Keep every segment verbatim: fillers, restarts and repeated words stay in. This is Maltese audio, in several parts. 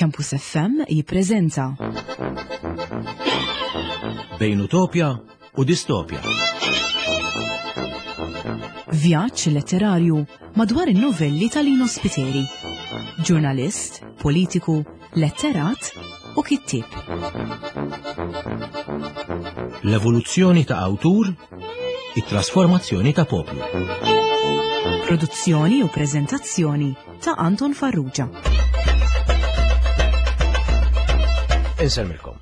Campus F M jippreżenta Bejn Utopja u Distopja. Vjaġġ letterarju madwar in-novelli ta' Lino Spiteri. Ġurnalist, politiku, letterat u kittieb. L-evoluzzjoni ta' awtur, it-trasformazzjoni ta' poplu. Produzzjoni u preżentazzjoni ta' Anton Farrugia. Insellmilkom.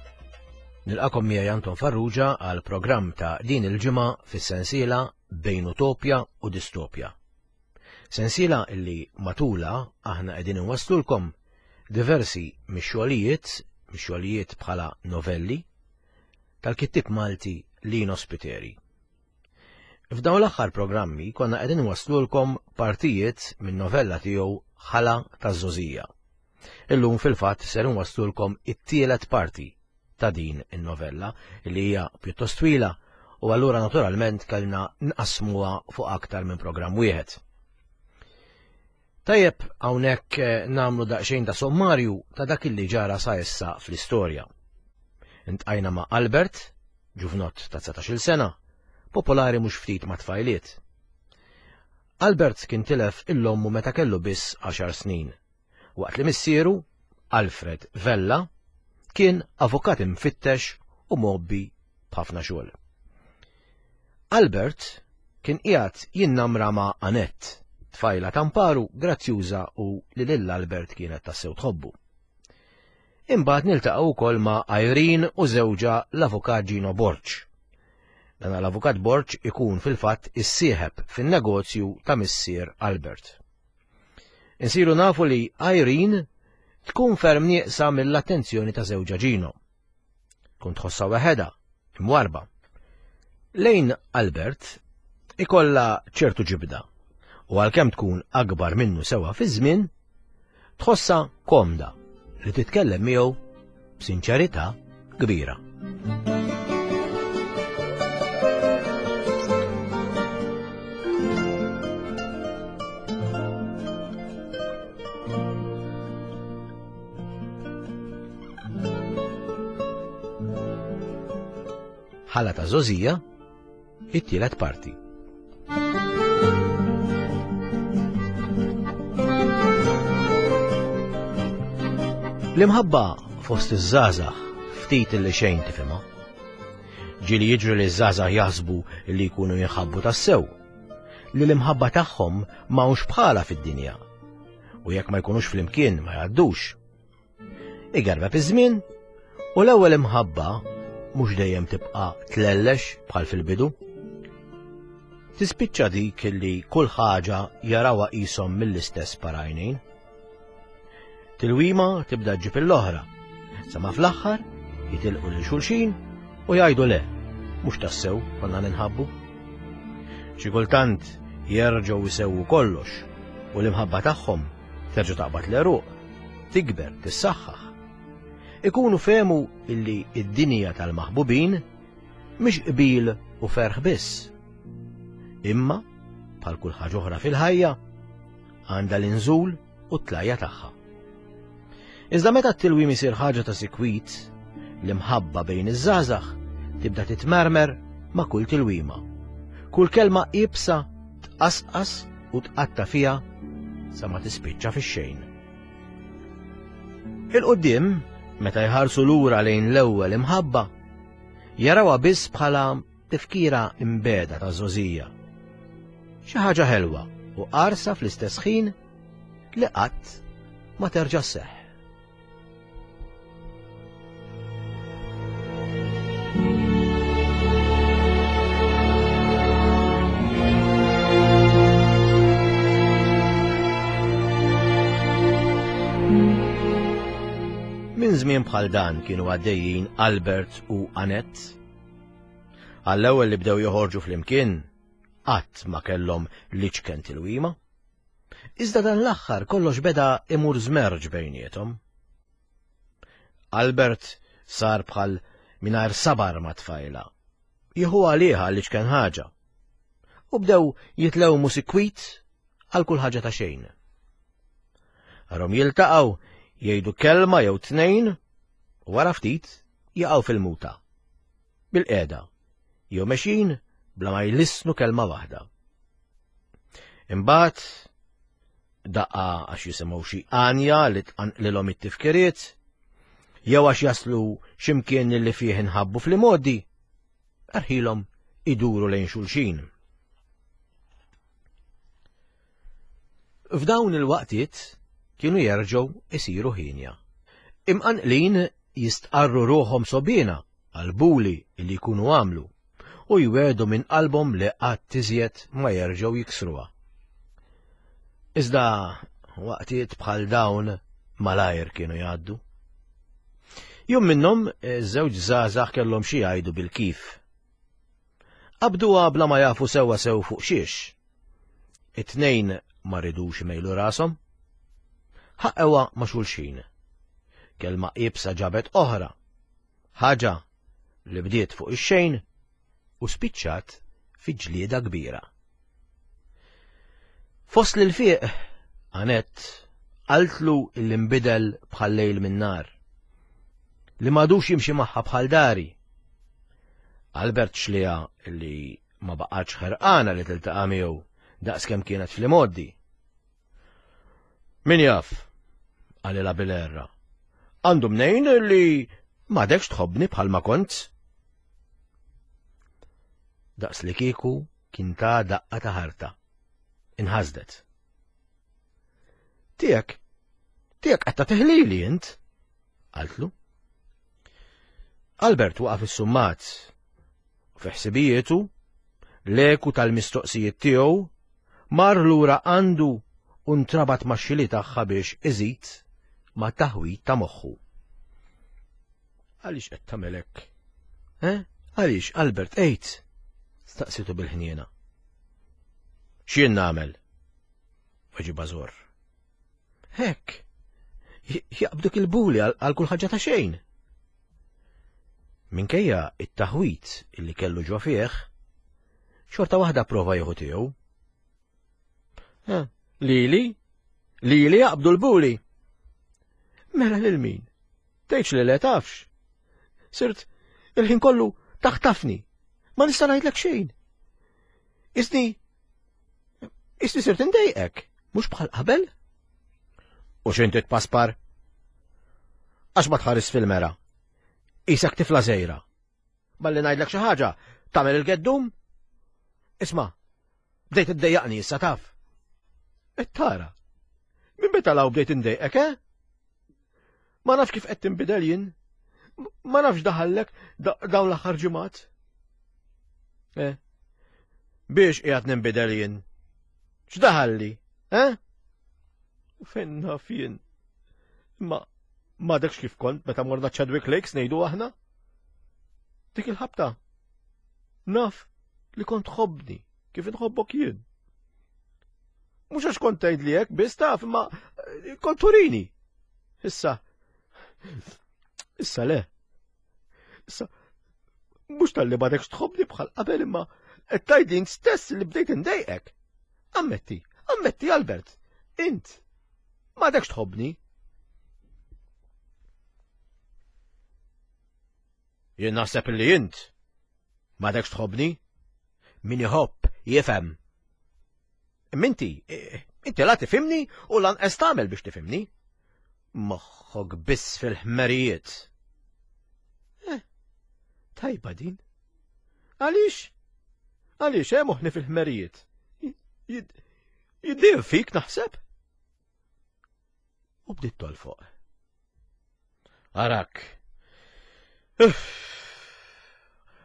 Nilqagħkom miegħi Anton Farrugia għal programm ta' din il-ġimgħa fis-sensiela Bejn Utopja u Distopja. Sensiela illi matula aħna qegħdin inwasslulkom diversi mix-xogħlijiet, mix-xogħlijiet bħala novelli tal-kittieb Malti Lino Spiteri. F'dawn l-aħħar programmi konna qegħdin inwasslulkom partijiet minn novella tiegħu Ħala taż-Żgħożija. Illum fil-fatt ser inwasslulkom it-tielet parti ta' din in-novella li hija pjuttost twila u allura naturalment kellna nqasmuha fuq aktar minn programm wieħed. Tajjeb hawnhekk eh, nagħmlu daqsxejn ta' sommarju ta' dak li ġara sa issa fl-istorja. Iltqajna ma' Albert, ġuvnott ta' dsatax-il sena, popolari mhux ftit ma' tfajliet. Albert kien tilef 'l ommu meta kellu biss għaxar snin, waqt li missieru, Alfred Vella, kien avukat imfittex u mgħobbi b'ħafna xogħol. Albert kien qiegħed jinnamra ma' Annette, tfajla tamparu grazzjuża u li lil Albert kienet tassew tħobbu. Imbagħad niltaqgħu wkoll ma' Irene u żewġha l-avukat Gino Borg. Dan l-avukat Borg ikun fil-fatt is-sieħeb fin-negozju ta' missier Albert. Insiru nafu li Irene tkun ferm nieqsa mill-attenzjoni ta' żewġha Gino. Tkun tħossha waħedha, imwarba. Lejn Albert ikolla ċertu ġibda u għalkemm tkun akbar minnu sewa fi żmien, tħossha komda li titkellem miegħu b'sinċerità kbira. Ħala ta' Żgħożija, it-tielet parti. L-imħabba fost iż-żgħażagħ ftit li xejn tifhimha. Ġieli jiġri li ż-żgħażagħ jaħsbu li jkunu jinħabbu tassew, li l-imħabba tagħhom m'hawnx bħala fid-dinja. U jekk ma jkunux flimkien ma jgħaddux. Igerbeb iż-żmien u l-ewwel imħabba mhux dejjem tibqa' tlellex bħal fil-bidu. Tispiċċa dik li kull ħaġa jarawha qishom mill-istess par għajnejn. Tilwima tibda ġġib l-oħra, sa ma fl-aħħar jitilqu lil xulxin u jgħidu le, mhux tassew konna ninħabbu. Xi kultant jerġgħu jsewwu kollox u l-imħabba tagħhom terġa' taqbad l-għeruq, tikber, tissaħħaħ. Ikunu fehmu illi id-dinja tal-maħbubin mhix qbil u ferħ biss. Imma, bħal kull ħaġa oħra fil-ħajja, għandha l-inżul u t-tlajja tagħha. Iżda meta t-tilwim isir ħaġa ta' sikwit, l-imħabba bejn iż-żgħażagħ tibda titmermer ma' kull tilwima. Kull kelma iebsa tqasqas u tqatta fiha sa ma tispiċċa fix-xejn. 'Il quddiem, meta jħarsu lura lejn l-ewwel imħabba, jarawha biss bħala tifkira imbegħda ta' żgħożija. Xi ħaġa ħelwa u qarsa fl-istess ħin li qatt ma terġa' sseħħ. Minn żmien bħal dan kienu għaddejjin Albert u Annette. Għall-ewwel li bdew joħorġu flimkien, qatt ma kellhom l-iċken tilwima. Iżda dan l-aħħar kollox beda imur żmerġ bejniethom. Albert sar bħal mingħajr sabar ma' tfajla. Jieħu għaliha l-iċken ħaġa. U bdew jitlewmu sikwit għal kull ħaġa ta' xejn. Arahom jiltaqgħu Jgħidu kelma jew tnejn u wara ftit jaqgħu fil-muta. Bil-qiegħda, jew mexjin bla ma jlissnu kelma waħda. Imbagħad daqqa għax jisimgħu xi għanja li tqanqlilhom it-tifkiriet, jew għax jaslu x'imkien li fih inħabbu fl-imgħoddi, erħilhom iduru lejn xulxin. F'dawn il-waqtiet kienu jerġgħu isiru ħinja. Imqanqlin jistqarru ruħhom sobina għal-buli li jkunu għamlu u jwedu minn qalbhom li qatt iżjed ma jerġgħu jiksruha. Iżda waqtiet bħal dawn malajr kienu jgħaddu. Jum minnhom iż-żewġ żgħażagħ kellhom xi jgħidu bil-kif. Qabduha bla ma jafu sewwa sew fuq xiex. It-tnejn ma ridux imejlu rashom. Ħaqqewha ma' xulxin. Kelma iebsa ġabet oħra. Ħaġa li bdiet fuq ix-xejn u spiċċat fi ġlieda kbira. Fost lil fieq, Anett qaltlu illi nbidel bħal lejl min-nar, li m'għadux jimxi magħha bħal dari. Albert xliha illi ma baqgħetx ħerqana li tiltaqa' miegħu daqskemm kienet fl-imgħoddi. Min jaf, qalilha bil-erra, għandu mnejn li m'għadekx tħobbni bħalma kont. Daqs li kieku kien ta' daqqa ta' ħarta. Inħasdet. Tiegħek, tiegħek qed tagħtihlili int, qaltlu. Albert waqaf is-summat u fi ħsibijietu l-eku tal-mistoqsijiet tiegħu mar lura għandu u ntrabat max-xili tagħha biex iżid ma' taħwid ta' moħħu. Għaliex qed tagħmel hekk? Eh? Għaliex, Albert, għid? Staqsitu bil-ħniena. X'jien nagħmel? Weġibha żorr. Hekk, jaqbduk il-buli għal kull ħaġa ta' xejn. Minkejja it-taħwit illi kellu ġo fih, xorta waħda prova jieħu tiegħu. Lili? Lili jaqbdu l-buli. Mela lil min? Tgħidx li le tafx. Sirt il-ħin kollu taħtafni. Ma nista' ngħidlek xejn. Isni Isni sirt indejqek, mhux bħal qabel? U x'inti tpaspar? Għax ma tħares fil-mera. Isek tifla żgħira. Malli ngħidlek xi ħaġa, tagħmel il-geddum? Isma', bdejt iddejjaqni issa taf. Et tara, minn meta law bdejt indejqek, eh? Ma nafx kif qed tinbidel jien. Ma nafx daħallek dawn l-aħħar ġimgħat. Eh? Biex qiegħed ninbidel jien? X'daħalli, eh? U fejn naf jien? Ma m'għadekx kif kont meta morna Chadwick Lakes ngħidu aħna? Dik il-ħabta. Naf li kont tħobbni kif inħobbok jien. Mhux għax kont tgħidli hekk biss taf, imma kont turini. Issa, issa le. Issa, mhux talli m'għadekx tħobbni bħal qabel imma qed tgħidli int stess li bdejt indejqek. Ammetti, ammetti Albert, int m'għadekx tħobbni. Jien naħseb li int m'għadekx tħobbni. Min iħobb jifhem. Imma inti, inti la tifhimni u lanqas tagħmel biex tifhimni. Moħħok biss fil-ħmerijiet. Eh, tajba din. Għaliex? Għaliex eh moħħni fil-ħmerijiet? Jiddir fik naħseb? U bdiet tolfoq. Arak.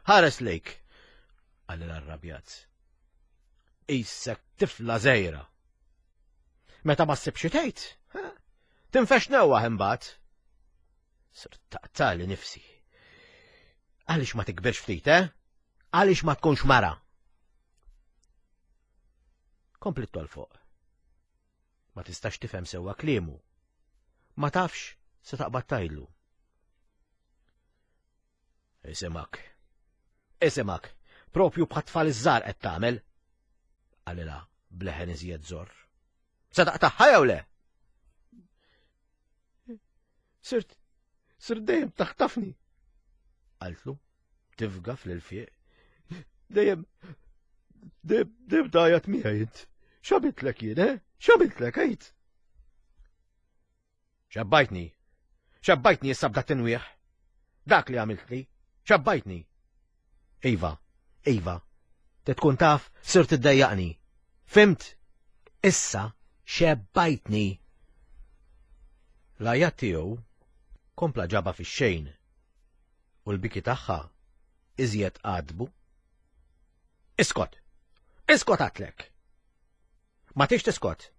Ħares lejk, qalli l-arrabjat. Isek tifla żgħira. Meta ma ssibx tgħid, tinfex newwaħ imbagħad. Sirt taqtali nifsi. Għaliex ma tikbirx ftit, eh? Għaliex ma tkunx mara? Kompli tolfoq. Ma tistax tifhem sewwa kliemu. Ma tafx se taqbad tgħidlu. Isimak. Isimak, propju bħat-tfal iż-żgħar qed tagħmel. Qalilha bleħen iżjed żorr. Se taqtagħha jew le? Sirt, sirt dejjem taħtafni. Qaltlu, tifga fl-ilfieq. Dejjem, dejjem, dejjem tgħajjat miegħi int. X'għamiltlek jien, eh? X'għamiltlek, għid? Xebbajtni. Xebbajtni issa b'dak tinwieħ. Dak li għamiltli. Xebbajtni. Iva, iva, te tkun taf sirt iddejjaqni. Fhimt? Issa xebbajtni. L-għajat tiegħu kompla ġaba fix-xejn u l-biki tagħha iżjed għadbu. Iskot! Iskot għedtlek! Ma tix tiskot!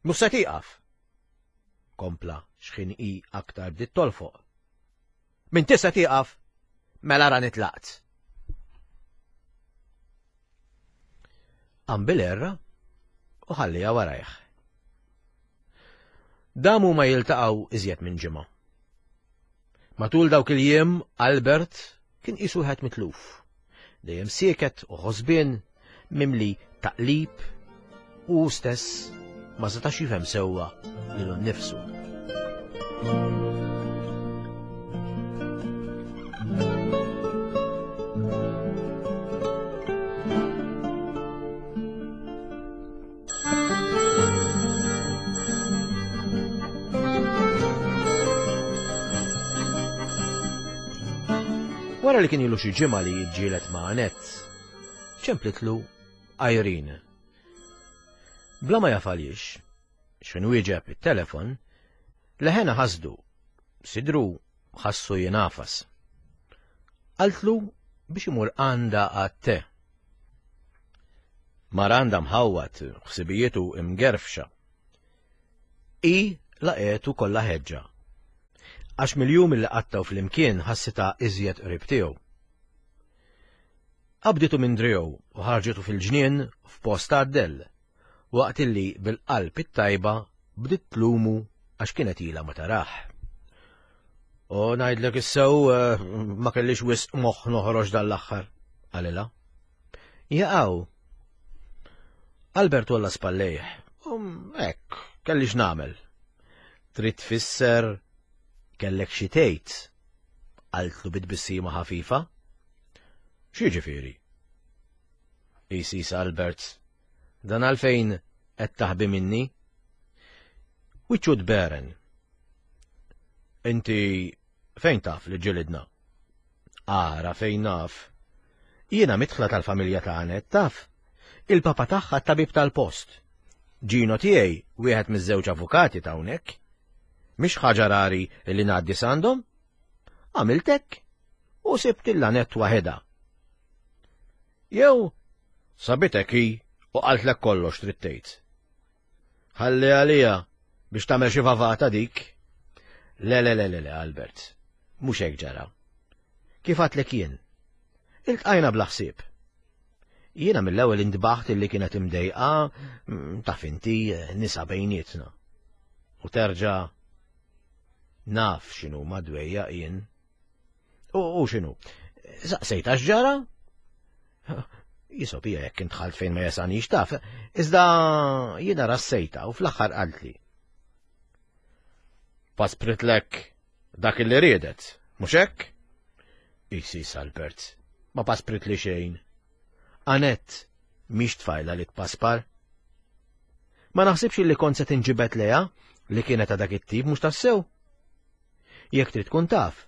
Mhux se tieqaf! Kompla xħin hi aktar bdiet tolfoq. Min tista' tieqaf, mela ra nitlaqt. Qam bil-erra u ħallija warajh. Damu ma jiltaqgħu iżjed minn ġimgħa. Matul dawk il-jiem Albert kien qisu wieħed mitluf. Dejjem sieket u ħosbien, mimli taqlib u stess ma setax jifhem sewwa lilu nnifsu. Wara li kien ilu xi ġimgħa li jiġġieled ma' Annette, ċemplitlu Irene. Bla ma jaf għaliex, x'inhu wieġeb it-telefon, leħena ħasdu, sidru ħassu jinafas. Qaltlu biex imur għandha għat-te. Mar għandha mħawwad, ħsibijietu imgerfxa. I laqgħetu kollha ħeġġa. Għax mill-jum li qattgħu flimkien ħassitha iżjed qrib tiegħu. Qabditu minn driegħu u ħarġitu fil-ġnien f'post għad-dell, waqt illi bil-qalb it-tajba bdiet tlumu għax kienet ilha ma tarah. U ngħidlek issew eh, ma kellix wisq moħħ noħroġ dan l-aħħar, qalilha. Jaqaw. Albert walla spallejh. Um, hekk, kellix nagħmel. Trid tfisser kellek xi tgħid, qaltlu bit-tbissima ħafifa. X'jiġifieri? Isis Albert, dan għalfejn qed taħbi minni? Wiċċu tberen. Inti fejn taf li ġilidna? Ara fejn naf. Jiena midħla tal-familja ta' Annette taf. Il-papa tagħha tabib tal-post. Ġino tiegħi wieħed miż-żewġ avukati ta' hawnhekk. Mhix ħaġa rari li ngħaddi s'għandhom. Għamiltek u sibt il-Annette waħedha. Jew sabitek hi u qaltlek kollox trid tgħid. Ħalli għalija biex tagħmel xi vavata dik. Le, le, le, le, le, Albert, mhux hekk ġara. Kif għedtlek jien? Iltqajna bla ħsieb. Jiena mill-ewwel intbaħt illi kienet imdejqa mm, taf inti nisa bejnietna. U terġa' naf x'inhu madwejja jien. U, u x'inhu? Saqsejta x'ġara? Jisobija jekk intħalt fejn ma jasanix taf, iżda jiena rassejta u fl-aħħar qaltli. Paspritlek dak li riedet, mhux hekk? Isis Albert, ma paspritli xejn. Annette mhix tfajla li tpaspar. Ma naħsibx li kont se tinġibed lejha li kienet ta' dak it-tip mhux tassew. Jekk trid tkun taf,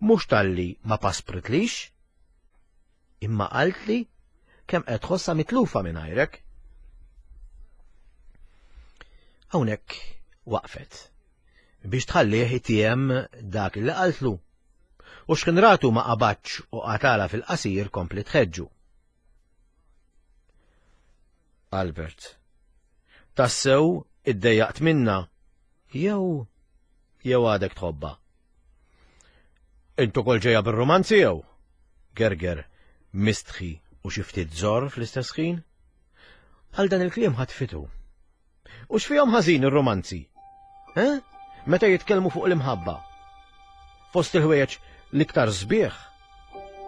mhux talli ma paspritlix, imma qaltli kemm qed tħossha mitlufa mingħajrek. Hawnhekk waqfet biex tħallih itiem dak li qaltlu. U x'kien ratu ma qabadx u qatala fil-qasir kompli tħeġġu. Albert, tassew iddejjaqt minna, jew jew għadek tħobba. Intu kol ġejja bir-romanzi jew? Gerger, mistħi u xi ftit żor fl-istess ħin? Għal dan il-kliem ħatfitu. U x'fihom ħażin ir-romanzi? Eh? Meta jitkellmu fuq l-imħabba. Fost il-ħwejjeġ l-iktar sbieħ,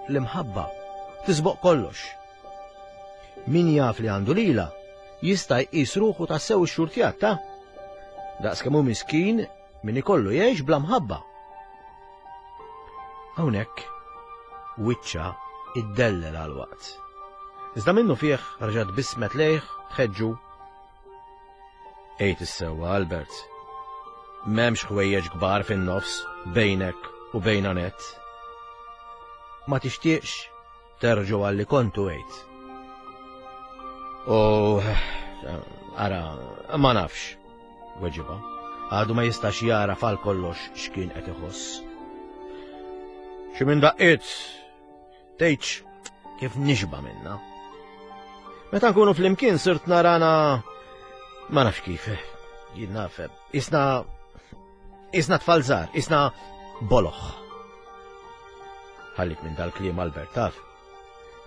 l-imħabba tisboq kollox. Min jaf li għandu lila jista' jqis ruħu tassew ix-xurtjat ta' daqs kemm hu miskin Min ikollu jgħix bla mħabba. Hawnhekk wiċċha iddellel għal waqt. Iżda minnu fih reġgħet bismet lejh tħeġġu. Ejt is-sewwa, Albert. M'hemmx ħwejjeġ kbar fin-nofs bejnek u bejn Anett. Ma tixtieqx terġgħu għalli kontu għejt. U ara, ma nafx, weġiba. Għadu ma jistax jara fal kollox x'kien qed iħoss. Xi minn daqqiet tgħidx kif nixba minna. Meta nkunu flimkien sirt narana ma nafx kif. Jien naf, isna isna tfal żgħar, isna boloħ. Ħallik minn dal-kliem Albert taf.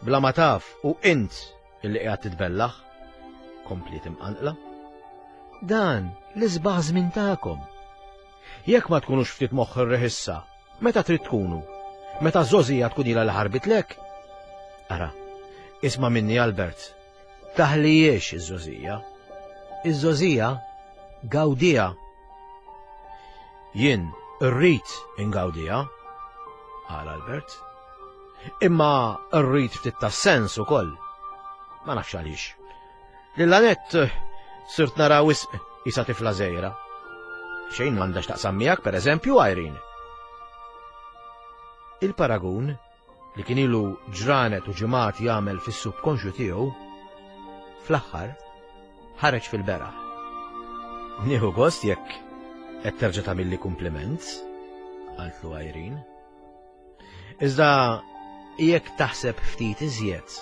Bla ma taf u int illi qiegħed titbellaħ, kompliet imqanqla. Dan l-isbaħ żmien tagħkom. Jekk ma tkunux ftit moħħ ir-reħissa, meta trid tkunu? Meta żożija tkun ilha li ħarbitlek? Ara, isma' minni Albert, taħlijiex iż-żożija. Iż-żożija gawdija. Jien rrid ingawdija, qal Albert. Imma rrid ftit ta' sens ukoll. Ma nafx għaliex. Lil Anett sirt nara wisq isa tifla żgħira. Xejn m'għandax taqsam miegħek, pereżempju, Irene. Il-paragun li kien ilu ġranet u ġimgħat jagħmel fis-subkonxju tiegħu, fl-aħħar ħareġ fil-beraħ. Nieħu gost jekk qed terġa' tagħmilli kumpliment, qaltlu Irene. Iżda jekk taħseb ftit iżjed,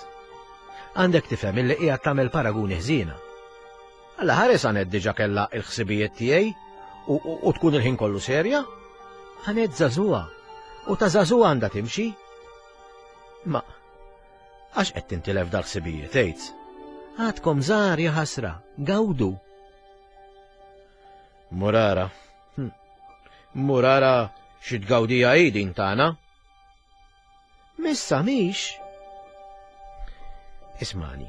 għandek tifhem illi qiegħed tagħmel paraguni ħżiena. Alla ħares Anett diġà kellha l-ħsibijiet tiegħi u, u, u tkun il-ħin kollu serja. Anett żagħżugħa u ta' żagħżugħa għandha timxi. Ma għax qed tintilef dal-ħsibijiet għid. Għadkom żgħar ja ħasra, gawdu. Murara. Hm. Murara xi tgawdija hi din tagħna. Missa mhix. Ismani.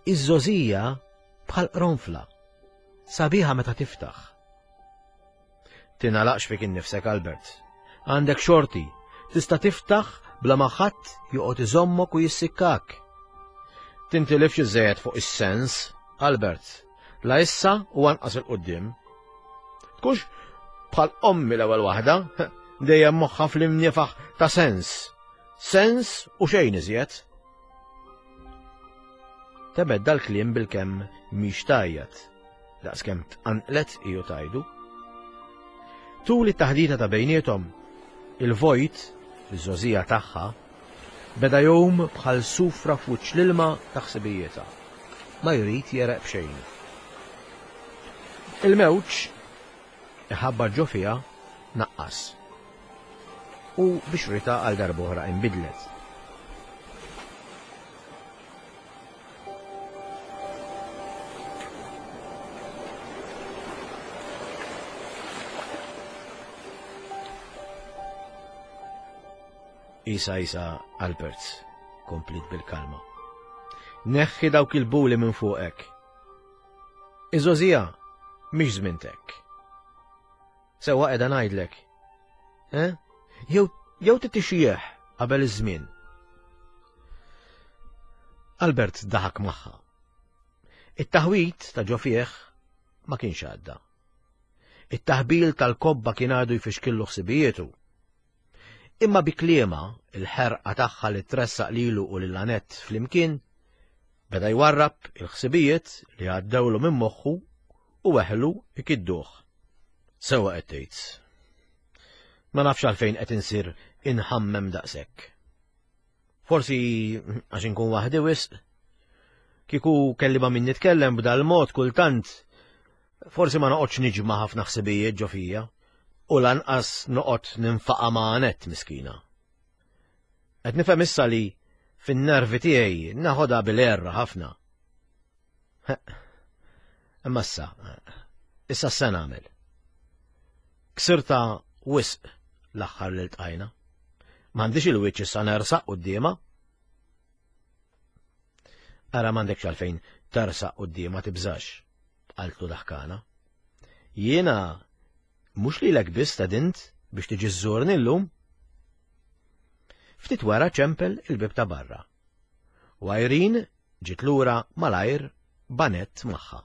Iż-żożija bħal qronfla, sabiħa meta tiftaħ. Tingħalaqx fik innifsek, Albert. Għandek xorti, tista' tiftaħ bla ma ħadd joqgħod iżommok u jissikkak. Tintilifx iżejjed fuq is-sens, Albert, la issa u anqas il-qudiem. Tkunx bħal ommi l-ewwel waħda, dejjem moħħa fl-imniefaħ ta' sens. Sens u xejn iżjed. Tebed dal-kliem bil-kemm mhix tajjat, daqskemm tqanqlet iju tajdu. Tul it-taħdita ta' bejniethom, il-vojt, fiż-żożija tagħha, beda jgħum bħal sufra f'wiċċ l-ilma ta' ħsibijietha. Ma jrid jereq b'xejn. Il-mewġ iħabba ġo fiha naqqas. U bixrita għal darb'oħra inbidlet. Isa, isa, Albert, komplit bil-kalma. Neħħi dawk il-buli minn fuqek. Iż-żożija mhix żmintek. Sewwa qiegħda ngħidlek. Eh? Jew jew titixjieħ qabel iż-żmien. Albert daħak magħha. It-taħwit ta' ġo fih ma kienx għadda. It-taħbil tal-kobba kien għadu jfixkillu ħsibijietu. Imma bi kliema, il-ħerqa tagħha li tressaq lilu u lil Anett flimkien, beda jwarrab il-ħsibijiet li għaddewlu minn moħħu u weħlu ikidduh. Sewwa qed tgħid. Ma nafx għalfejn qed insir inħammem daqshekk. Forsi għax inkun waħdi wisq. Kieku kelli ma' min nitkellem b'dal-mod kultant, forsi ma noqgħodx niġma' ħafna ħsibijiet ġo fija. U lanqas noqgħod ninfaqa' ma' Anett miskina. Qed nifhem issa li fin-nervi tiegħi naħodha bil-erra ħafna. Imma issa, issa se nagħmel. Ksirta wisq l-aħħar li ltqajna. M'għandix il-wiċċ issa nersaq quddiemha. Ara m'għandekx għalfejn tersaq quddiemha tibżax, qaltlu daħkana. Jiena Mhux lilek biss stedint biex tiġi żżurni llum. Ftit wara ċempel il-bieb ta' barra. U Irene ġiet lura malajr b'Annette magħha.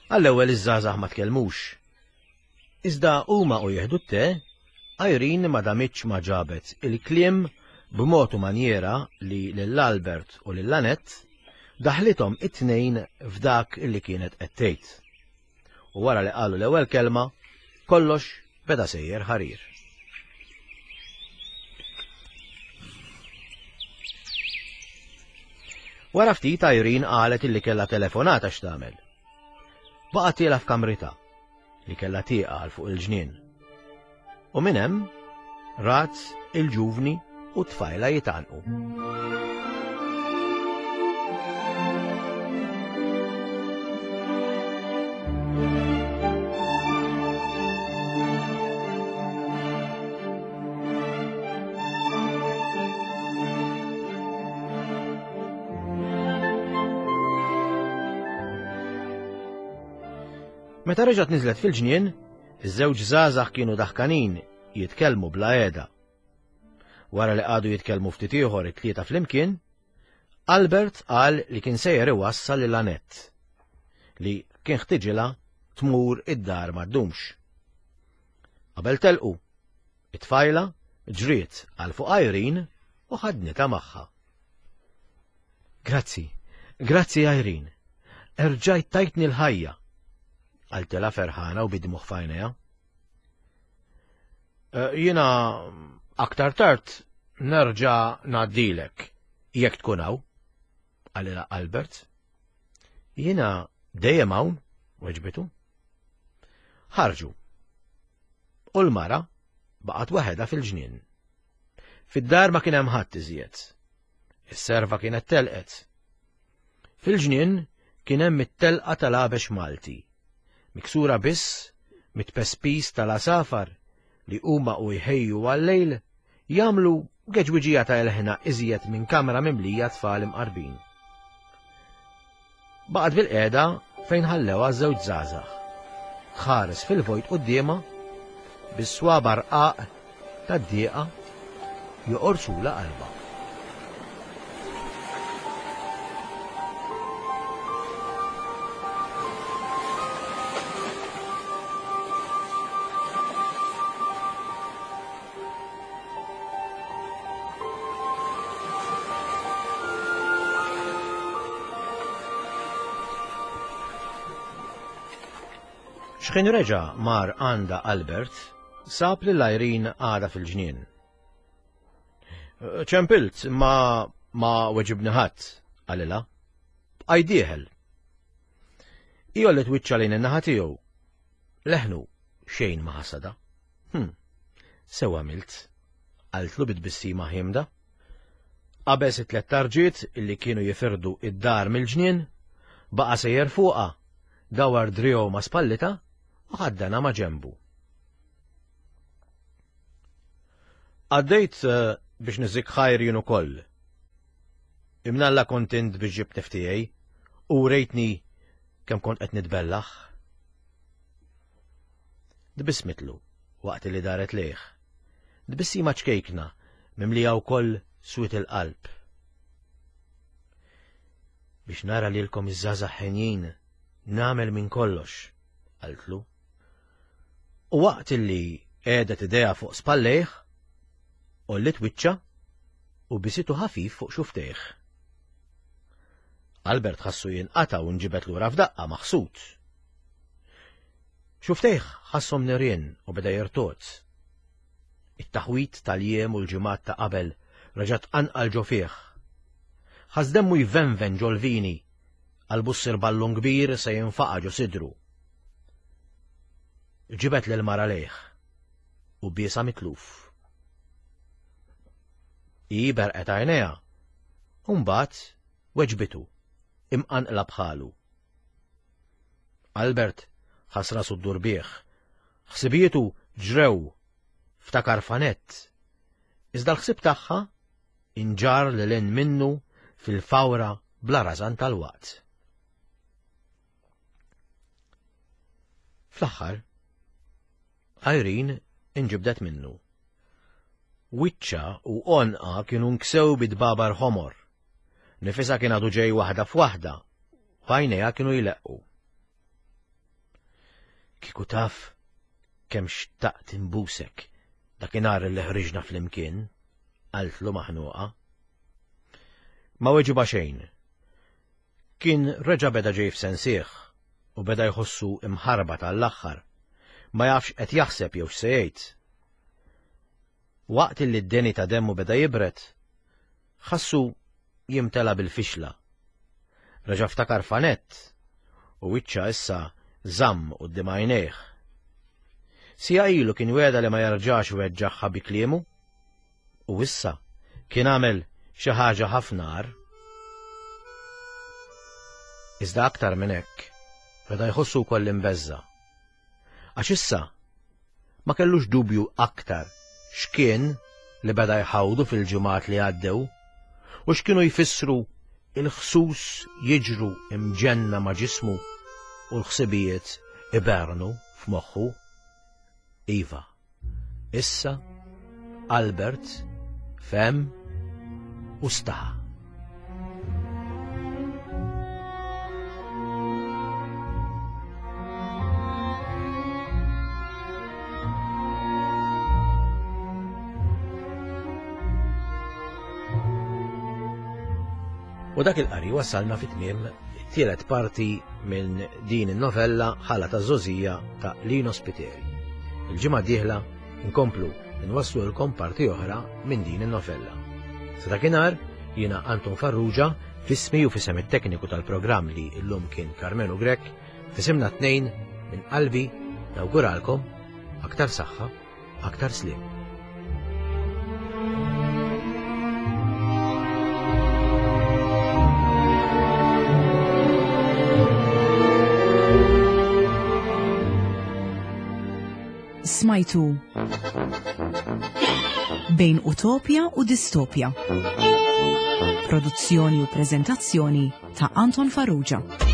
Għall-ewwel iż-żgħażagħ ma tkellmux. Iżda huma u jieħdu t-te, Irene ma damitx ma ġabet il-kliem b'mod u manjera li lil Albert u lil Annette daħlithom it-tnejn f'dak li kienet qed tgħid. U wara li qalu l-ewwel kelma, kollox beda sejjer ħarir. Wara ftit Irene qalet illi kellha telefonata x'tagħmel. Baqgħet tiela' f'kamritha li kellha tieqa għal fuq il-ġnien. U minn hemm rat il-ġuvni u t-tfajla jitgħannqu. Meta reġgħet niżlet fil-ġnien, iż-żewġ żgħażagħ kienu daħkanin jitkellmu bla qiegħda. Wara li qagħdu jitkellmu ftit ieħor it-tlieta flimkien, Albert qal li kien sejjer iwassal lil Annette, li kien ħtiġilha tmur id-dar ma ddumx. Qabel telqu, it-tfajla ġriet għal fuq Irene u ħadnitha magħha. Grazzi, grazzi Irene, erġajt tajtni l-ħajja, qaltilha ferħana u bid-dmugħ f'għajnejha. Jiena aktar tard nerġa' ngħaddilek jekk tkun hawn, qalilha Albert. Jiena dejjem hawn, weġbitu. Ħarġu. U l-mara baqgħet waħedha fil-ġnien. Fid-dar ma kien hemm ħadd iżjed. Is-serva kienet telqet. Fil-ġnien kien hemm it-telqa tal-għabex Malti, miksura biss mit-pespis tal-għasafar li huma u jħejju għal-lejl jagħmlu geġwiġija ta' ilħna iżjed minn kamra mimlija tfal imqarbin. Baqgħet bil-qiegħda fejn ħallewha żewġ żgħażagħ. Tħares fil-vojt quddiemha bis-swaba rqaq tad-dieqa joqorsula qalbha. X'ħin reġa' mar għandha Albert, sab lil Irene għadha fil-ġnien. Ċempilt, ma ma weġibni ħadd, qalilha. Bqajt dieħel. Hi għolliet wiċċha lejn in-naħa tiegħu. Leħnu xejn ma ħasada. Hm, sew għamilt, qaltlu bit-tbissima ħiemda. Qabeż it-tliet tarġiet illi kienu jifirdu id-dar mill-ġnien, baqa' sejjer fuqha, dawar driegħu ma' spallitha u ħaddanha ma' ġenbu. Għaddejt biex niżik ħajr jien ukoll. Imnalla kont int biex ġibtni f'tiegħi u rejtni kemm kont qed nitbellaħ. Tbissmitlu waqt li daret lejh. Tbissima ċkejkna mimlija wkoll swied il-qalb. Biex nara lilkom iż-żgħażagħ ħenjin nagħmel minn kollox, qaltlu. U waqt li qiegħdet idejha fuq spallejh, għolliet wiċċha u bisitu ħafif fuq xuftejh. Albert ħassu jinqata' u nġibed lura f'daqqa maħsud. Xuftejh ħasshom nirien u beda jirtogħod. It-taħwit tal-jiem u l-ġimgħat ta' qabel reġa' tqanqal ġo fih. Ħass demmu jvenven ġol-vini, qalbu ssir ballun kbir se jinfaqa' ġo sidru. Ġibed lil mara lejh u biesha mitluf. Hi berqet għajnejha, u mbagħad weġbitu imqanqla bħalu. Albert ħass rasu ddur bih, ħsibietu ġrew ftakar f'Annette, iżda l-ħsieb tagħha inġar lil hinn minnu fil-fawra bla rażan tal-waqt. Fl-aħħar, Irene inġibdet minnu. Wiċċha u għonqha kienu nksew bid-dbabar ħomor. Nifisha kien għadu ġej waħda f'waħda, u għajnejha kienu jleqqu. Kieku taf kemm xtaqt imbusek dakinhar li ħriġna flimkien, qaltlu maħnuqa. Ma weġibha xejn. Kien reġa' beda ġej f'sensih u beda jħossu imħarbat għall-aħħar. Ma jafx qed jaħseb jew x'se jgħid. Waqt li d-deni ta' demmu beda jibret, ħassu jimtela bil-fixla. Reġa' ftakar f'Annette u wiċċha issa żamm quddiem għajnejh. Siegħa ilu kien wegħedha li ma jerġax iweġġagħha bi kliemu u issa kien għamel xi ħaġa ħafna agħar. Iżda aktar minn hekk, beda jħossu wkoll imbeżża'. Għax issa ma kellux dubju aktar x'kien li beda jħawdu fil-ġimgħat li għaddew u x'kienu jfissru il-ħsus jiġru imġenna ma' ġismu u l-ħsibijiet ibernu f'moħħu. Iva, issa Albert fehem u staħa. U dak il-qari wassalna fi tmiem it-tielet parti minn din in-novella Ħala ta' Żgħożija ta' Lino Spiteri. Il-ġimgħa d-dieħla nkomplu nwasslulkom parti oħra minn din in-novella. Sa dakinhar jiena Anton Farrugia f'ismi u f'isem it-tekniku tal-programm li llum kien Carmelo Grech, f'isimna tnejn minn qalbi nawguralkom aktar saħħa, aktar sliem. Smajtu Bejn Utopja u Distopja. Produzzjoni u prezentazzjoni ta' Anton Farrugia.